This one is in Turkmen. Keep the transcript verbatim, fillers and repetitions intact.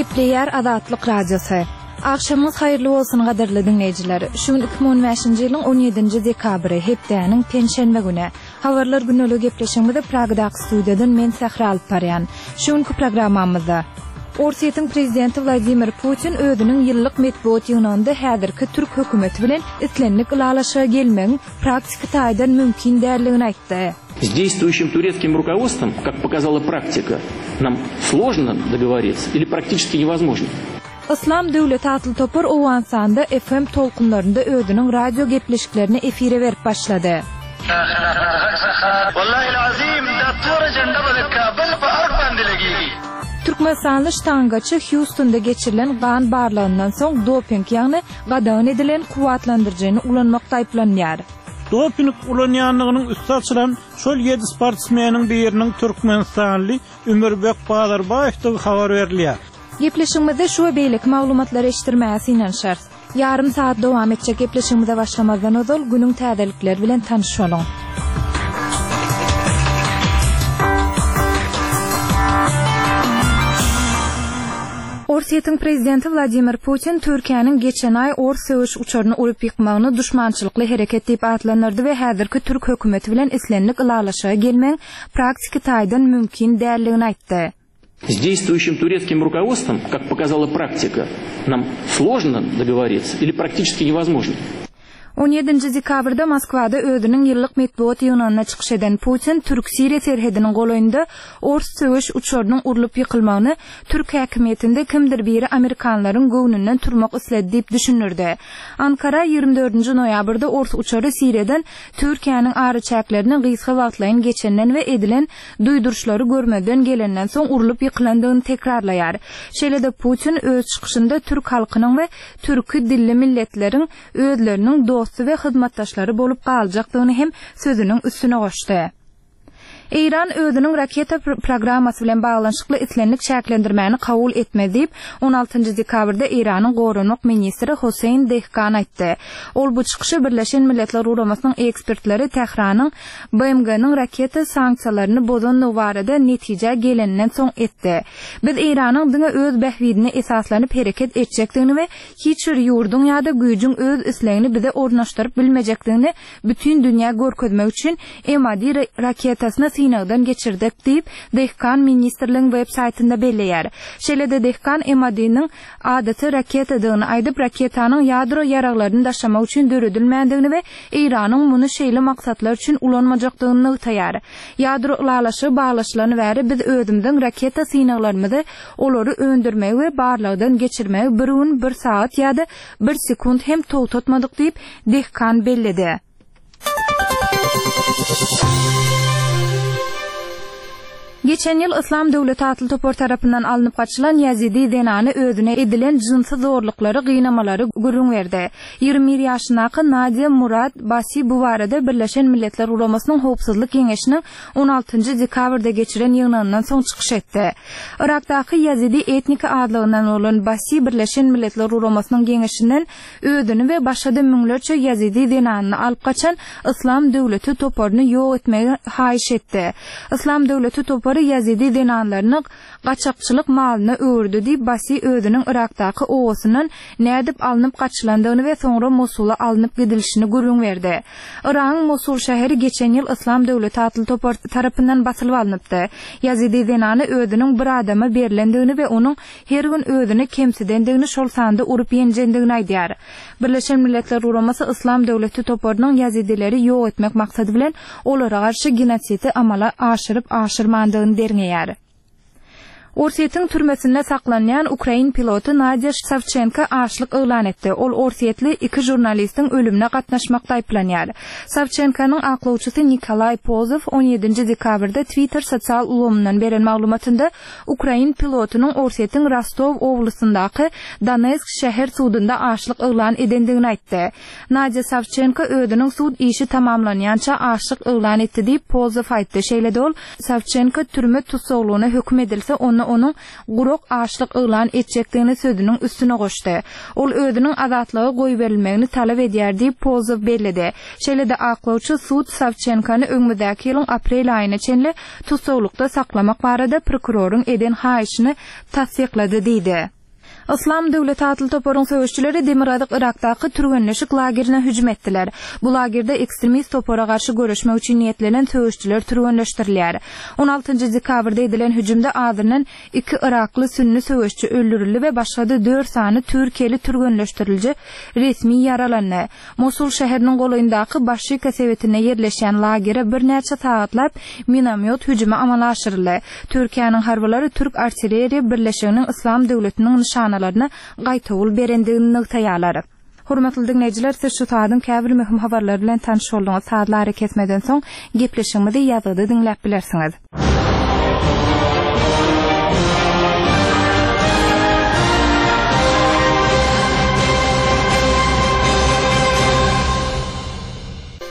Gepleýär Azatlyk Radiosy. Agşamyňyz haýyrly bolsun gadyrly diňleýjiler. Şu gün iki müň on bäşinji ýylyň on ýedinji dekabry, hepdäniň penşenbe güni. Habarlar güneli gepleşigimizi Pragadaky studiýadan men Sähra alyp barýan. Şu günki programmamyzda Orsýetiň prezidenti Wladimir Putin özüniň ýyllyk metbugat ýygnagynda häzirki türk hökümeti bilen islendik ylalaşyga gelmegiň praktiki taýdan mümkin däldigini aýtdy. С действующим турецким руководством, как показала практика, нам сложно договориться или практически невозможно. Yslam döwleti atly topar Owganystanda F M tolkunlarynda özüniň radio gepleşiklerini efire berip başlady. Türkmenistanly ştangaçy Houstonda geçirilen gan barlagyndan soň doping, ýagny gadagan edilen kuwwatlandyryjyny ulanmakda aýyplanýar. Doping ulanýanlygynyň üsti açylan şol ýedi sportsmeniň biriniň Türkmenistanly Ümürbek Bazarbaýewdigi habar berilýär. Gepleşigimizde şu we beýleki maglumatlary eşitdirmäge synanyşarys. Ýarym saat dowam etjek gepleşigimize başlamazdan ozal günüň täzelikleri bilen tanyş boluň. Orsýetiň prezidenti Wladimir Putin Türkiýäniň geçen aý ors söweş uçaryny urup ýykmagyny duşmançylykly hereket diýip atlandyrdy we häzirki türk hökümeti bilen islendik ylalaşyga gelmegiň praktiki taýdan mümkin däldigini aýtdy. С действующим турецким руководством, как показала практика, нам сложно договориться или практически невозможно. On ýedinji dekabrda Moskwada özüniň ýyllyk metbugat ýygnagynda çykyş eden Putin Türk-Siriýa serhediniň golaýynda ors söweş uçarynyň urlup ýykylmagyny türk häkimiýetinde kimdir biri amerikanlaryň göwnünden turmak isledi diýip düşündirdi. Ankara ýigrimi dördünji noýabrda ors uçary Siriýadan Türkiýäniň araçäklerine gysga wagtlaýyn geçenden we edilen duýduryşlary görmeden gelenden soň urlup ýykylandygyny tekrarlaýar. Şeýle-de Putin öz çykyşynda türk halkynyň we türki dilli milletleriň özleriniň dosty we hyzmatdaşlary bolup galjakdygyny hem sözüniň üstüne goşdy. Eýran özüniň raketa programmasy bilen baglanyşykly islendik çäklendirmäni kabul etmedi diýip, on altynjy dekabrda Eýranyň goranmak ministri Hossein Dehkan aýtdy. Ol bu çykyşy Birleşen Milletler Guramasynyň ekspertleri Tähranyň B M G-niň raketa sanksiýalaryny bozandygy barada netije geleninden soň etdi. Biz Eýranyň diňe öz bähbidine esaslanyp hereket etjekdigini we hiç bir ýurduň ýa-da güýjüň öz islegini bize ornaşdyryp bilmejekdigini bütün dünýä görkezmek üçin M A D raketasyny synagdan geçirdik diýip, Dehkan ministrligiň web saýtynda belleýär. Şeýle-de Dehkan M A D-niň adaty raketadygyny aýdyp, raketanyň ýadro ýaraglaryny daşamak üçin döredilmändigini we Eýranyň muny şeýle maksatlar üçin ulanmajakdygyny nygtaýar. Ýadro ylalaşygy baglaşylany bäri biz özümiziň raketa synaglarymyzy olary öndürmegi we barlagdan geçirmegi bir gün, bir saat ýa-da bir sekund hem togtatmadyk diýip, Dehkan belledi. Geçen ýyl Yslam döwleti atly topar tarapyndan alnyp gaçylan Ýazidi zenany özüne edilen jynsy zorluklary, gynamalary gürrüň berdi. Ýigrimi bir ýaşyndaky Nadia Murad Basi bu barada Birleşen Milletler Guramasynyň Howpsuzlyk Geňeşiniň on altynjy dekabrda geçiren ýygnagyndan soň çykyş etdi. Irakdaky Ýazidi etnik adlygyndan bolan Basi Birleşen Milletler Guramasynyň Geňeşinden özüni we başga-da müňlerçe Ýazidi zenanyny alyp gaçan Yslam döwleti toparyny ýok etmegi haýyş etdi. Yslam döwleti topary Ýazidi zenanlaryny gaçakçylyk malyna öwürdi diýip Basi özüniň Irakdaky owasyndan nädip alnyp gaçylandygyny we soňra Mosula alnyp gidilişini gürrüň berdi. Iragyň Mosul şäheri geçen ýyl Yslam döwleti atly topar tarapyndan basylyp alnypdy. Ýazidi zenany özüniň bir adama berilendigini we onuň her gün özüni kemsidendigini şol sanda urup ýenjendigini aýdýar. Birleşen Milletler Guramasy Yslam döwleti toparynyň ýazidileri ýok etmek maksady bilen olara garşy genosidi amala aşyryp aşyrmandygyny derňeýär. Orsýetiň türmesinde saklanýan Ukrain piloty Nadia Savchenko açlyk yglan etdi. Ol Orsýetli iki žurnalistiň ölümine gatnaşmakda aýyplanýar. Savchenkonyň aklawçysy Nikolay Pozow on ýedinji dekabrda Twitter sosial ulgamyndan beren maglumatynda Ukrain pilotynyň Orsýetiň Rostov oblasyndaky Donetsk şäher sudunda açlyk yglan edendigini aýtdy. Nadia Savchenko özüniň sud işi tamamlanýança açlyk yglan etdi diýip Pozow aýtdy. Şeýle-de ol Savchenko türme tussaglygyna höküm edilse, onda Onda onuň gurak açlyk yglan etjekdigini sözüniň üstüne goşdy. Ol özüniň azatlyga goýberilmegini talap edýär diýip, Polzow belledi. Şeýle-de aklawçy sud Sawçenkony öňümizdäki ýylyň aprel aýyna çenli tussaglykda saklamak barada prokuroryň eden haýyşyny tassyklady diýdi. Yslam döwleti atly toparyň söweşçileri Demirgazyk Yrakdaky türgenleşik lagerine hüjüm etdiler. Bu lagerde ekstremist topara garşy göreşmek üçin niýetlenen söweşçiler türgenleşdirilýär. On altynjy dekabrda edilen hüjümde azyndan iki yrakly sünni söweşçi öldürildi we başga-da dört sany türkiýeli türgenleşdiriliji resmi ýaralandy. Mosul şäheriniň golaýyndaky Başika sebitinde ýerleşýän lagere birnäçe sagatlap minomýot hüjümi amala aşyryldy. Türkiýäniň harbylary türk artilleriýa birleşiginiň Yslam döwletiniň nyşanalaryna gaýtawul berendigini nygtaýarlar. Hormatly diňleýjiler, siz şu saadyň käbir möhüm habarlary bilen tanyş bolduňyz. Sazly arakesmeden soň gepleşigimizi ýazgyda diňläp bilersiňiz.